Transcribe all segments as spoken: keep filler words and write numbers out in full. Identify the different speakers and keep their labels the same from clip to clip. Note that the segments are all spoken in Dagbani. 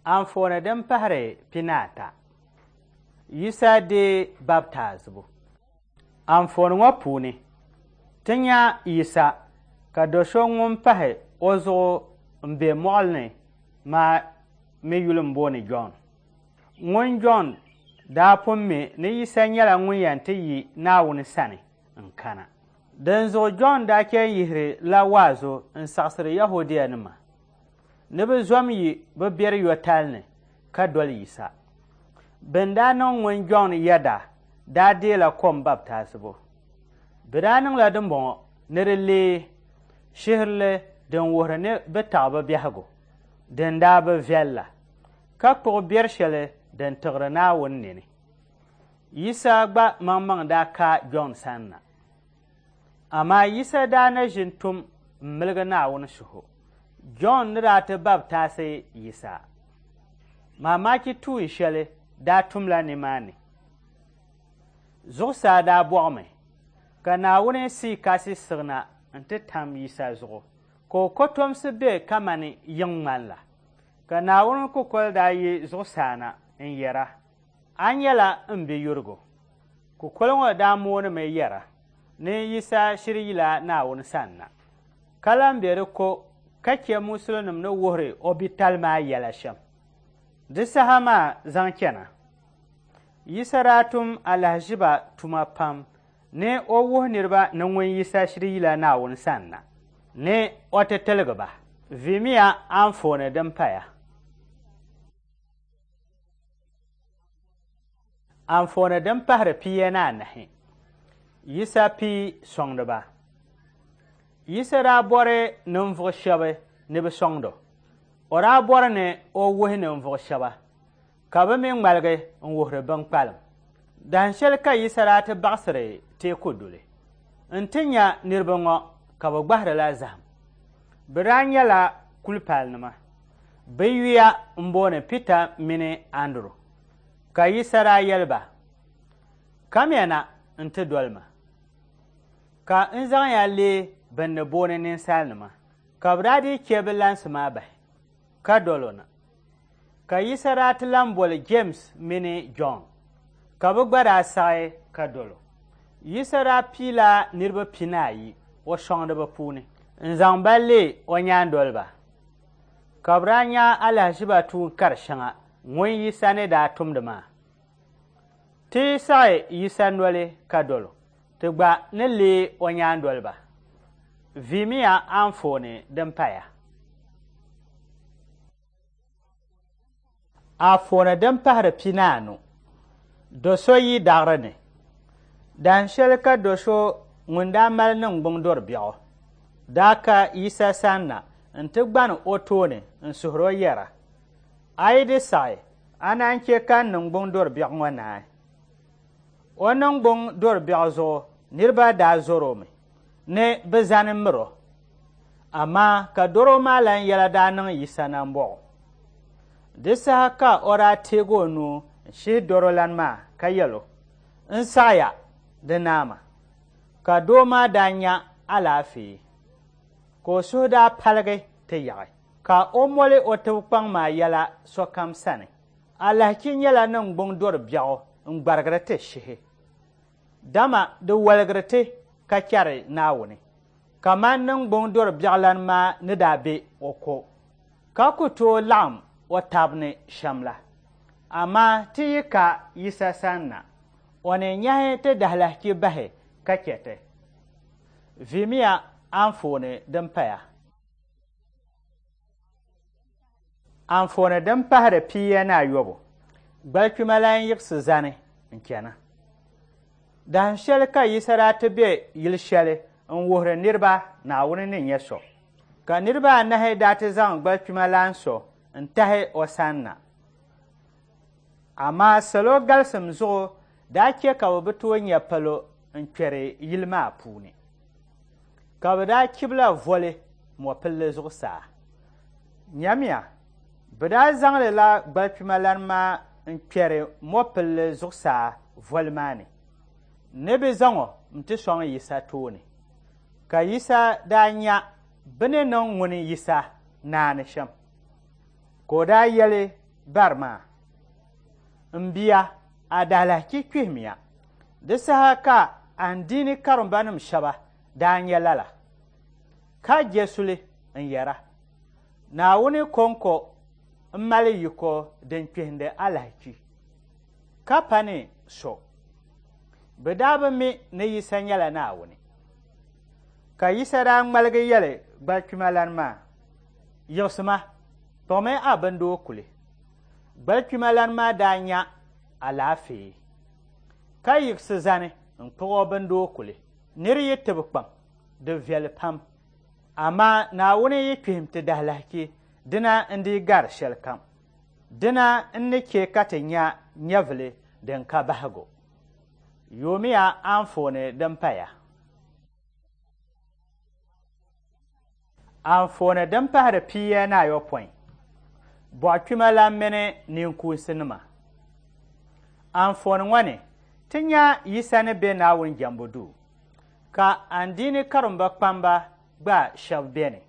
Speaker 1: Anfooni din pahiri pinaata. Yisa deei baptaizibu. Anfooni ŋɔ puuni, ti nya Yisa ka do so ŋun pahi o zuɣu m-be mɔɣili ni maa mi yuli m-booni Jɔn. Ŋun Jɔn daa pun mi ni Yisa nyɛla ŋun yɛn ti yi Naawuni sani n-kana. Dinzuɣu Jɔn daa chɛ n-yihiri la waazu n-saɣisiri Yɛhudianima ni bɛ zom yi bɛ biɛri yɔtali ni ka doli Yisa. Bɛn daa niŋ ŋun Jɔn yɛda daa deela kom baptaizibu. Bɛ daa niŋla dimbɔŋɔ ni di leei shihirili din wuhiri ni bɛ taɣi bɛ biɛhigu din daa bi viɛl la, ka kpuɣi biɛri shɛli din tiɣiri Naawuni nini. Yisa gba maŋmaŋ daa ka Jɔn sani na. Amaa Yisa daa na ʒin tum m-miligi Naawuni suhu. Jɔn ni daa ti baptaisi Yisa. Mamaki tuun shɛli daa tumla nimaani. Zuɣusaa daa bɔɣimi ka Naawuni Sii Kasi siɣina nti tam Yisa zuɣu ka o kɔtomsi be kamani yiŋ ŋmani la. Ka Naawuni kukoli daa yi zuɣusaa na n-yɛra, A nyɛla m biyurigu. Kukoli ŋɔ daa moonimi yɛra ni Yisa shiri yila Naawuni sani na. Ka lan be di ko ka chɛ musulinima ni wuhiri o bitali maa yɛla shɛm. Di saha maa zaŋ chana, Yisa daa tum alahiziba tuma pam ni o wuhi niriba ni ŋun Yisa shiri yila Naawuni sani na ni o ti tiligi ba. Vimiya anfooni din paya. Anfooni din pahiri pia ni anahi. Yisa pii sɔŋdiba. Yisa daa bɔri ninvuɣ shɛba ni bɛ sɔŋdi o. O daa bɔri ni o wuhi ninvuɣ shɛba ka bɛ mi ŋmaligi n-wuhiri binkpalim. Dahin shɛli ka Yisa daa ti baɣisiri teeku duli nti nya niriba ŋɔ ka bɛ gbahirila zahim. Bɛ daa nyɛla kulipalinima. Bɛ yuya m-booni Pita mini Anduru. Ka Yisa daa yɛli ba, Kamiya na nti doli ma, ka n zaŋ ya leei bɛn ni booni ninsalinima. Ka bɛ daa dii chɛ bɛ lansi maa bahi ka dol o na. Ka Yisa daa ti lan boli Jems mini Jɔn, ka bɛ gba daa saɣi ka dol o. Yisa daa piila niriba pinaayi o sɔŋdiba puuni n-zaŋ ba leei o nyaandoliba, ka bɛ daa nya alahiziba tuun kar shɛŋa ŋun Yisa ni daa tumdi maa. Ti yi saɣi Yisa noli ka dol o, ti gba ni leei o nyaandoliba. Vimiya anfooni din paya. Anfooni din pahiri pinaanu. Do so yi daɣiri ni. Dahin shɛli ka do so ŋun daa mali niŋgbuŋ dɔr biɛɣu daa ka Yisa sani na nti gbani o tooni n-suhiri o yɛra, A yi di saɣi, A naan chɛ ka n niŋgbuŋ dɔr biɛɣu ŋɔ naai. O niŋgbuŋ dɔr biɛɣu zuɣu niriba daa zɔr o mi ni bɛ zani mir o. Amaa ka dɔro maa lan yɛla daa niŋ Yisa nambɔɣu. Di saha ka o daa teeg o nuu n-shihi dɔrolan maa ka yɛl o, N saɣiya, di naama. Ka doo maa daa nya alaafee, ka o suhu daa paligi ti yaɣi, ka o moli o tibikpaŋ maa yɛla sokam sani. Alahichi nyɛla niŋgbuŋ dɔr biɛɣu n-gbarigiri ti shihi, dama di waligiri ti ka chɛri Naawuni, kaman niŋgbuŋ dɔr biɛɣulan maa ni daa be o ko ka ku tooi laɣim o tab ni shɛm la. Amaa ti yi ka Yisa sanna, o ni nyahi ti dahilahichi bahi ka chɛ ti. Vihimiya anfooni din paya. Anfooni din pahiri pia ni ayɔbu, Gbalikpima lan yiɣisi zani n-chana. Dahin shɛli ka Yisa daa ti be yili shɛli n-wuhiri niriba Naawuni ni nyɛ so. Ka niriba anahi daa ti zaŋ gbalikpima lan so n-tahi o sanna. Amaa salo galisim zuɣu daa chɛ ka bɛ bi tooi nya palo n-kpɛri yili maa puuni. Ka bɛ daa chibila voli mɔpilli zuɣusaa. Nyamiya, bɛ daa zaŋli la gbalikpima lan maa n-kpɛri mɔpilli zuɣusaa voli maa ni, ni bɛ zaŋ o nti sɔŋ Yisa tooni. Ka Yisa daa nya bɛ ni niŋ ŋuni Yisa naani shɛm, ka o daa yɛli bari maa, M bia, a daalahichi kpihimiya. Di saha ka andiini karimbanim shɛba daa nya lala, ka je suli n-yɛra, Naawuni kɔŋko m-mali yiko din kpihindi alahichi, ka pa ni so. Bɛ daa bi mi ni Yisa nyɛla Naawuni. Ka Yisa daa ŋmaligi yɛli gbalikpimalan maa, Yiɣisima, kpuɣimi a bindoo kuli. Gbalikpimalan maa daa nya alaafee, ka yiɣisi zani n-kpuɣ o bindoo kuli. Nir yi tibi kpaŋ, di viɛli pam, amaa Naawuni yi kpihim ti dahilahichi, dina n-dii gari shɛlikam. Dina n-ni chɛ ka ti nya nyɛvili din ka bahigu. Yoomiya anfooni din paya. Anfooni din pahiri pia ni ayopɔin, Bɔɣukpimalan mini ninkuunsinima. Anfooni ŋɔ ni, ti nya Yisa ni be Naawuni jɛmbu duu, ka andiini karimba kpamba gba shɛba beni.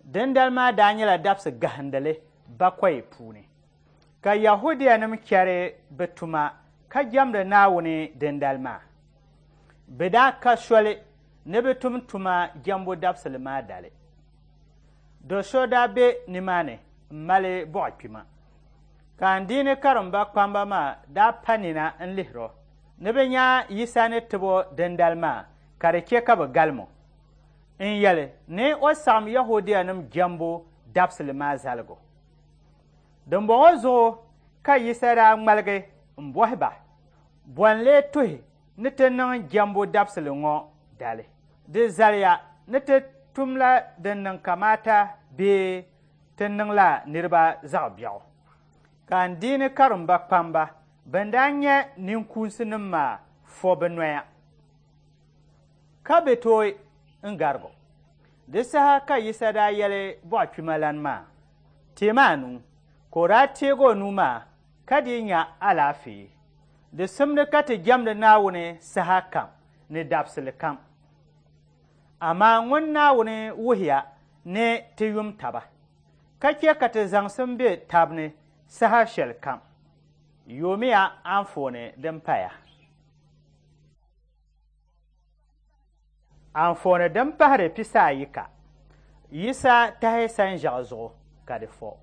Speaker 1: Dindali maa daa nyɛla dabisi gahindili bakɔi puuni, ka Yɛhudianim chɛri bɛ tuma ka jɛmdi Naawuni dindali maa. Bɛ daa ka soli ni bɛ tum tuma jɛmbu dabisili maa dali. Do so daa be nimaani m-mali bɔɣukpima, ka andiini karimba kpamba maa daa pa nina n-lihir o ni bɛ nya Yisa ni tib o dindali maa ka di chɛ ka bɛ galim o n-yɛli ni o saɣim Yɛhudianim jɛmbu dabisili maa zaligu. Dimbɔŋɔ zuɣu ka Yisa daa ŋmaligi m-bɔhi ba, Bɔ n-lee tuhi ni ti niŋ jɛmbu dabisili ŋɔ dali? Di zaliya ni ti tumla din niŋ kamaata bee ti niŋla niriba zaɣ biɛɣu? Ka andiini karimba kpamba bɛn daa nyɛ ninkuunsinim maa fo bɛ noya, ka bɛ tooi n-garig o. Di saha ka Yisa daa yɛli bɔɣukpimalan maa, Teemi a nuu. Ka o daa teeg o nuu maa ka dii nya alaafee. Di simdi ka ti jɛmdi Naawuni saha kam ni dabisili kam. Amaa ŋun Naawuni wuhiya ni ti yum taba, ka chɛ ka ti zaŋsim be tab ni saha shɛlikam. Yoomiya anfooni din paya. Anfooni din pahiri pisaayika, Yisa tahi sanʒiɛɣu zuɣu ka di fo.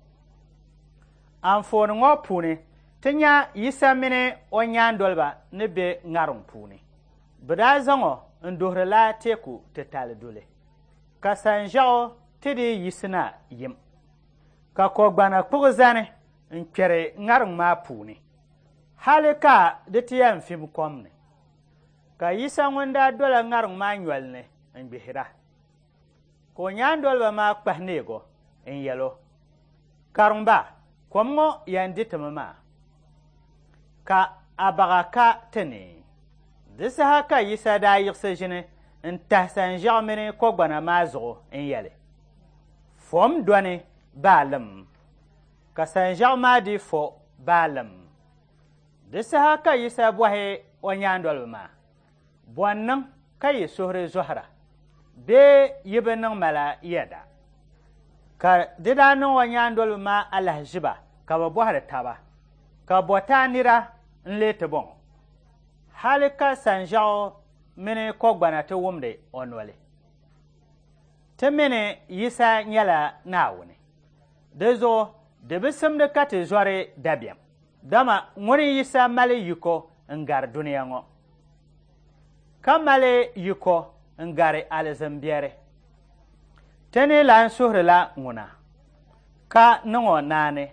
Speaker 1: Anfooni ŋɔ puuni, ti nya Yisa mini o nyaandoliba ni be ŋariŋ puuni. Bɛ daa zaŋ o n-duhirila teeku titali duli, ka sanʒiɛɣu ti dii yiɣisina yim, ka kɔgbana kpuɣi zani n-kpɛri ŋariŋ maa puuni, hali ka di ti yɛn fim kom ni. Ka Yisa ŋun daa dola ŋariŋ maa nyoli ni n-gbihira, ka o nyaandoliba maa kpahi neeg o n-yɛl o, Karimba, kom ŋɔ yɛn di ti mi maa. Ka a baɣa ka ti ni. Di saha ka Yisa daa yiɣisi ʒini n-tahi sanʒiɛɣu mini kɔgbana maa zuɣu n-yɛli, Fom dɔni baalim. Ka sanʒiɛɣu maa dii fo baalim. Di saha ka Yisa bɔhi o nyaandoliba maa, Bɔ n-niŋ ka yi suhuri zɔhira? Bee yi bi niŋ ma la yɛda? Ka di daa niŋ o nyaandoliba maa alahiziba ka bɛ bɔhiri taba, Ka bɔtaa nira n-lee ti bɔŋɔ? Hali ka sanʒiɛɣu mini kɔgbana ti wumdi o noli. Ti mi ni Yisa nyɛla Naawuni, di zuɣu di bi simdi ka ti zɔri dabiɛm, dama ŋuni Yisa mali yiko n-gari dunia ŋɔ, ka mali yiko n-gari alizin biɛri. Ti ni lan suhirila ŋuna, ka niŋ o naani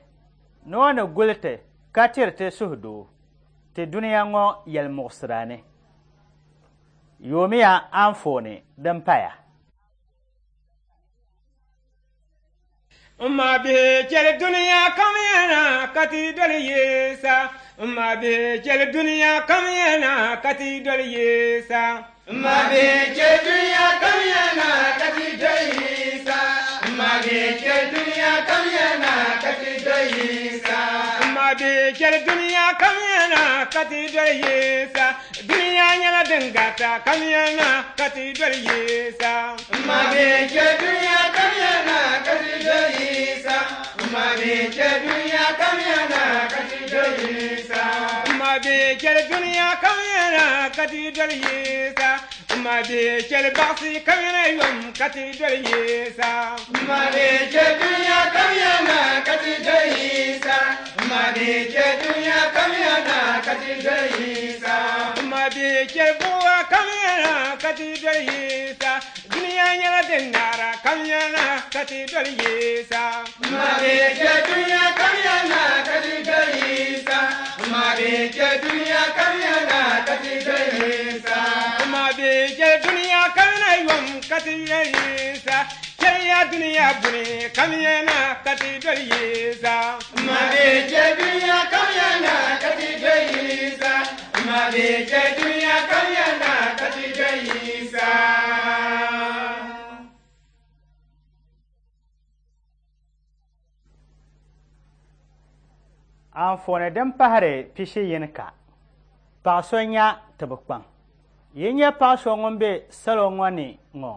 Speaker 1: ni o ni guli ti ka tiri ti suhudoo ti dunia ŋɔ yɛlimuɣisira ni. Yoomiya anfooni din paya.
Speaker 2: M ma bihi chɛli dunia kam yana ka ti doli Yisa. M ma bihi chɛli dunia kam yana ka ti doli Yisa.
Speaker 3: M ma bihi chɛli dunia kam yana ka ti doli Yisa. M ma bihi chɛli dunia kam yana ka ti doli Yisa.
Speaker 2: M ma bihi chɛli dunia kam yana ka ti doli Yisa. Dunia nyɛla din garita kam yana ka ti doli Yisa.
Speaker 3: M ma bihi chɛli dunia kam yana ka ti doli Yisa. M ma bihi chɛli dunia kam yana ka ti doli Yisa.
Speaker 2: M ma bihi chɛli dunia kam yana ka ti doli Yisa. M ma bihi chɛli baɣisi kam yana yom ka ti doli Yisa.
Speaker 3: M ma bihi chɛli dunia kam yana ka ti doli Yisa. M ma bihi chɛli dunia kam yana ka ti doli Yisa.
Speaker 2: M ma bihi chɛli buɣa kam yana ka ti doli Yisa. Dunia nyɛla din naara kam yana ka ti doli Yisa.
Speaker 3: M ma bihi chɛli dunia kam yana ka ti doli Yisa. M ma bihi chɛli dunia kam yana ka ti doli Yisa.
Speaker 2: M ma bihi chɛli dunia kam yana yom ka ti doli Yisa. Chɛliya dunia buni kam yana ka ti doli Yisa.
Speaker 3: M ma bihi chɛli dunia kam yana ka ti doli Yisa. M ma bihi chɛli dunia kam yana ka ti doli Yisa.
Speaker 1: Anfooni din pahiri pishi yini ka paɣa so nya tibikpaŋ. Yi nya paɣa so ŋun be salo ŋɔ ni ŋɔ,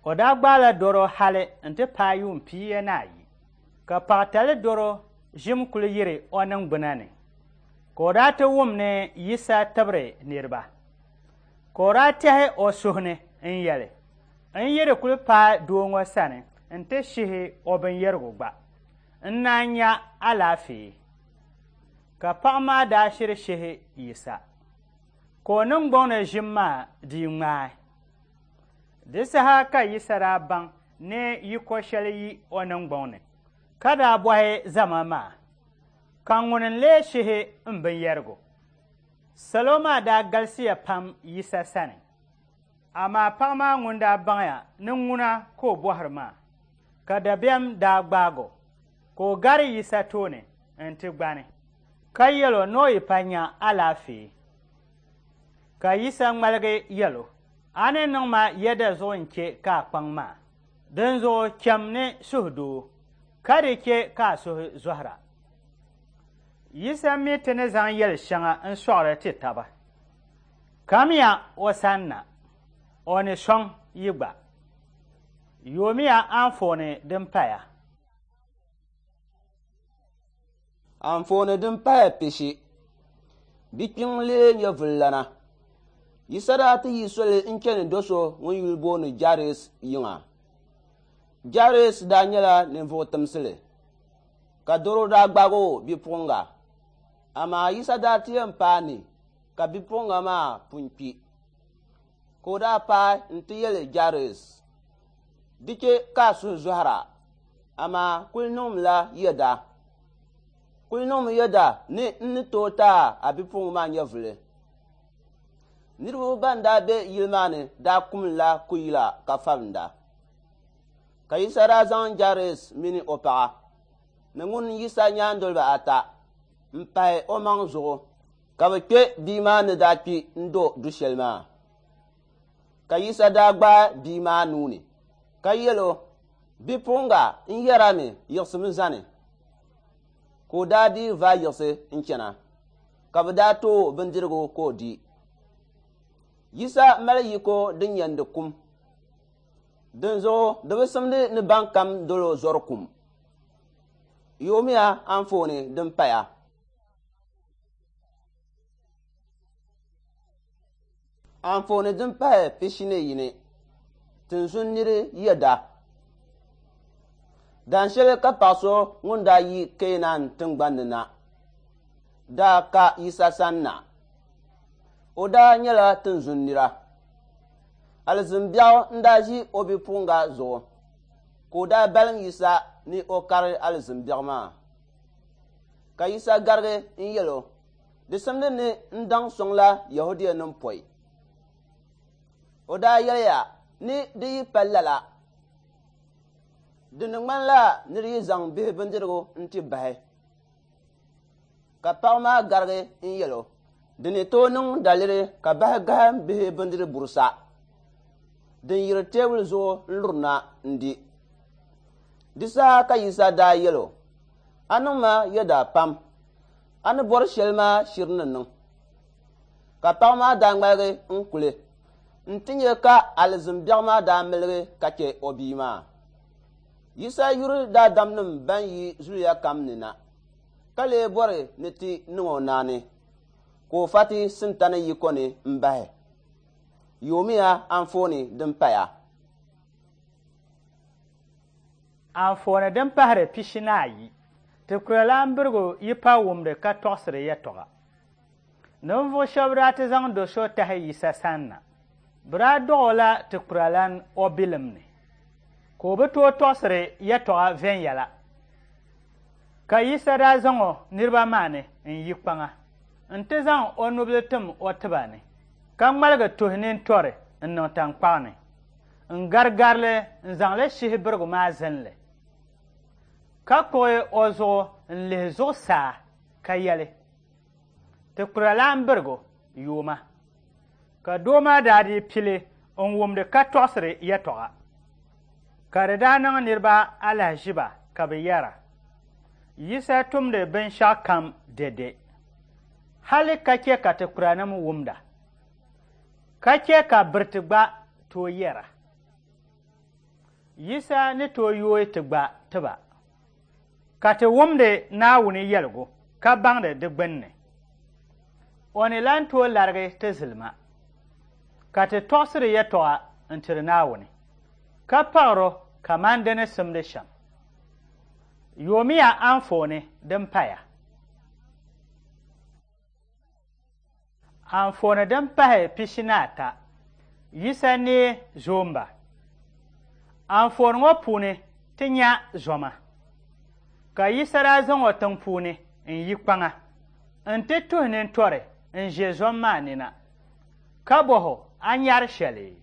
Speaker 1: o daa gbaala dɔro hali nti paai yuun pia ni ayi, ka paɣatali dɔro ʒim kuli yiri o niŋgbuna ni, ka o daa ti wum ni Yisa tibiri niriba. Ka o daa tɛhi o suhu ni n-yɛli, N yi di kuli paai doo ŋɔ sani nti shihi o binyɛrigu gba, n naan nya alaafee. Ka paɣa maa daa shiri shihi Yisa, ka o niŋgbuŋ ni ʒim maa dii ŋmaai. Di saha ka Yisa daa baŋ ni yiko shɛli yi o niŋgbuŋ ni, ka daa bɔhi zama maa, Ka ŋuni n-lee shihi m binyɛrigu? Salo maa daa galisiya pam Yisa sani, amaa paɣa maa ŋun daa baŋya ni ŋuna ka o bɔhiri maa, ka dabiɛm daa gbaag o, ka o gari Yisa tooni nti gbani, ka yɛl o ni o yi pa nya alaafee. Ka Yisa ŋmaligi yɛl o, A ni niŋ ma yɛda zuɣu n-chɛ ka a kpaŋ maa, dinzuɣu cham ni suhudoo, ka di chɛ ka a suhu zɔhira. Yisa mi ti ni zaŋ yɛl shɛŋa n-sɔɣiri ti taba. Kamiya o sanna, o ni sɔŋ yi gba. Yoomiya anfooni din paya.
Speaker 4: Anfooni din paya pishi. Bikpiŋ lee nyɛvulilana. Yisa daa ti yi soli n-chani do so ŋun yuli booni Jairus yiŋa. Jairus daa nyɛla ninvuɣ timsili, ka dɔro daa gbaag o bipuɣiŋga. Amaa Yisa daa ti yɛn paai ni ka bipuɣiŋga maa pun kpi. Ka o daa paai nti yɛli Jairus, Di chɛ ka a suhu zɔhira, amaa kul niŋmila yɛda. Kul niŋmi yɛda ni n ni tooi ti a bipuɣiŋga maa nyɛvuli. Niriba ban daa be yili maa ni daa kumdila kuyila ka fabinda. Ka Yisa daa zaŋ Jairus mini o paɣa ni ŋun Yisa nyaandoliba ata m-pahi omaŋ zuɣu Ka bɛ kpe bia maa ni daa kpi n-do du shɛli maa. Ka Yisa daa gbaai bia maa nuu ni ka yɛl o, Bipuɣiŋga, n yɛrimi, yiɣisimi zani. Ka o daa dii vaai yiɣisi n-chana, ka bɛ daa tooi o bindirigu ka o di. Yisa mali yiko din yɛndi kum. Dinzuɣu di bi simdi ni bankam dol o zɔri kum. Yoomiya anfooni din paya. Anfooni din pahi pishi ni yini, tinzun niri yɛda. Dan shɛli ka paɣ so ŋun daa yi Keenan tiŋgbani ni na daa ka Yisa sani na. O daa nyɛla tinzun nira. Alizin biɛɣu n-daa ʒi o bipuɣiŋga zuɣu, ka o daa balim Yisa ni o kari alizin biɛɣu maa. Ka Yisa garigi n-yɛl o, Di simdi ni n daŋ sɔŋla Yɛhudianim pɔi. O daa yɛliya ni di yi pa lala, di ni ŋmanila nir yi zaŋ bihi bindirigu nti bahi. Ka paɣ maa garigi n-yɛl o, Di ni tooi niŋ daliri ka bahi gahim bihi bindiri burisa din yiri teebuli zuɣu n-lurina n-di. Di saha ka Yisa daa yɛl o, A niŋ ma yɛda pam, a ni bɔri shɛli maa shiri ni niŋ. Ka paɣ maa daa ŋmaligi n-kuli nti nya ka alizin biɛɣu maa daa miligi ka chɛ o bia maa. Yisa yuri daadamnim bɛn yi zuliya kam ni na, ka lee bɔri ni ti niŋ o naani, ka o fa ti Sintani yiko ni m-bahi. Yoomiya anfooni din paya.
Speaker 1: Anfooni din pahiri pishi ni ayi, Tikurilan birigu yi pa wumdi ka tɔɣisiri yɛtɔɣa. Ninvuɣ shɛba daa ti zaŋ do so tahi Yisa sani na. Bɛ daa dɔɣ o la tikurilan o bilim ni, ka o bi tooi tɔɣisiri yɛtɔɣa viɛnyɛla. Ka Yisa daa zaŋ o niriba maa ni n-yi kpaŋa nti zaŋ o nubila tim o tiba ni, ka ŋmaligi tuhi nintɔri n-niŋ taŋkpaɣu ni n-garigari li n-zaŋ li shihi birigu maa zinli, ka kpuɣi o zuɣu n-lihi zuɣusaa ka yɛli, Tikurilan birigu, yooma. Ka doo maa daa dii pili n-wumdi ka tɔɣisiri yɛtɔɣa. Ka di daa niŋ niriba alahiziba ka bɛ yɛra, Yisa tumdi binshɛɣukam dɛde, hali ka chɛ ka tikuranim wumda, ka chɛ ka biriti gba tooi yɛra. Yisa ni tooi yooi ti gba tiba, ka ti wumdi Naawuni yɛligu ka baŋdi di gbinni. O ni lan tooi larigi ti zilima, ka ti tɔɣisiri yɛtɔɣa n-tiri Naawuni, ka paɣir o kaman di ni simdi shɛm. Yoomiya anfooni din paya. Anfooni din pahi pishi ni ata, Yisa neei zoomba. Anfooni ŋɔ puuni ti nya zoma, ka Yisa daa zaŋ o tiŋ puuni n-yi kpaŋa nti tuhi nintɔri n-ʒe zom maa ni na, ka bɔh o, A nyari shɛli?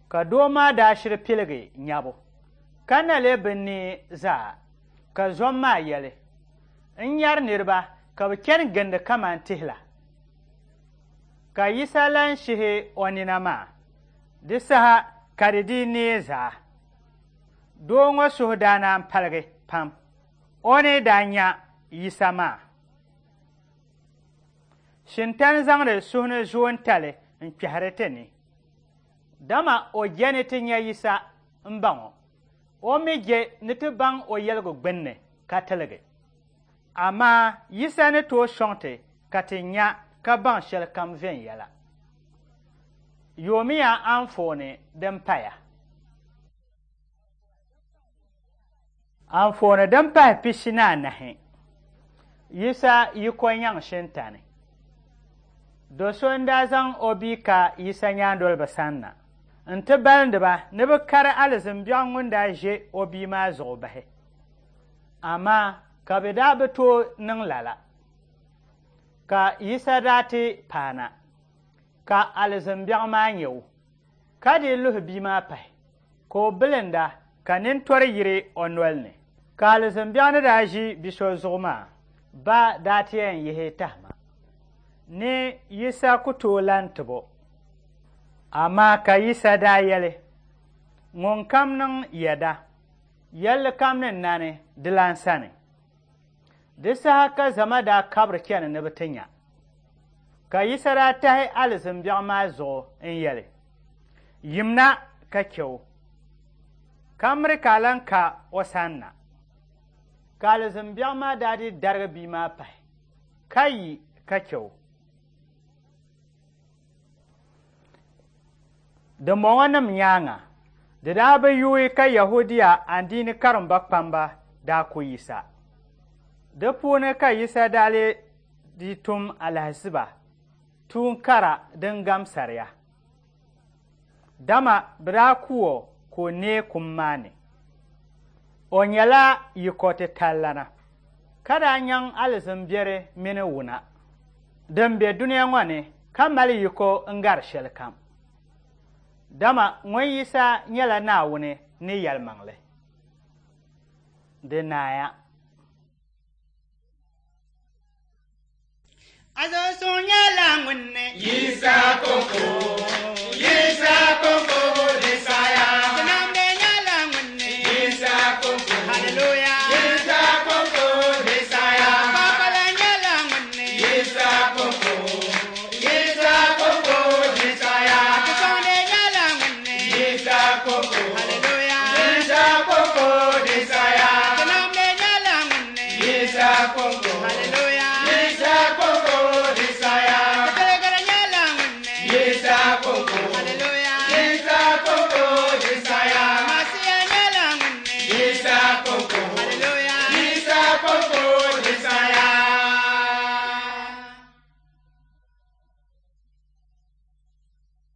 Speaker 1: Ka doo maa daa shiri piligi nyabu, ka na lee bi neei zaa. Ka zom maa yɛli, N nyari niriba ka bɛ chani gindi kaman tihi la. Ka Yisa lan shihi o nina maa, di saha ka di dii neei zaa. Doo ŋɔ suhu daa naan paligi pam o ni daa nya Yisa maa. Shintani zaŋdi suhu ni zoontali n-kpɛhiri ti ni, dama o je ni ti nya Yisa m-baŋ o, o mi je ni ti baŋ o yɛligu gbinni ka tiligi. Amaa Yisa ni tooi sɔŋ ti ka ti nya ka baŋ shɛlikam viɛnyɛla. Yoomiya anfooni din paya. Anfooni din pahi pishi ni anahi, Yisa yiko nyaŋ Shintani. Do so n-daa zaŋ o bia ka Yisa nyaandoliba sani na nti balindi ba ni bɛ kari alizin biɛɣu ŋun daa ʒe o bia maa zuɣu bahi. Amaa ka bɛ daa bi tooi niŋ lala. Ka Yisa daa ti paana, ka alizin biɛɣu maa nya o, ka dii luhi bia maa pahi, ka o bilinda ka nintɔri yiri o noli ni. Ka alizin biɛɣu ni daa ʒi bi so zuɣu maa ba daa ti yɛn yihi tahima. Ni Yisa ku tooi lan tib o. Amaa ka Yisa daa yɛli, Ŋunkam niŋ yɛda, yɛlli kam ni nani dilan sani. Di saha ka zama daa kabiri chani ni bɛ ti nya. Ka Yisa daa tahi alizin biɛɣu maa zuɣu n-yɛli, Yimna ka chɛ o, ka miri ka a lan ka o sanna. Ka alizin biɛɣu maa daa dii darigi bia maa pahi, ka yi ka chɛ o. Dimbɔŋɔnim nyaaŋa, di daa bi yuui ka Yɛhudia andiini karimba kpamba daa ku Yisa. Di puuni ka Yisa daa lee di tum alahiziba tuun kara din gam sariya. Dama bɛ daa ku o ka o neei kum maa ni. O nyɛla yiko titalilana, ka daa nyaŋ alizin biɛri mini wuna din be dunia ŋɔ ni ka mali yiko n-gari shɛlikam. Dama ŋun Yisa nyɛla Naawuni ni yɛlimaŋli. Di naaya.
Speaker 3: Azo suŋ nyɛla ŋun ni.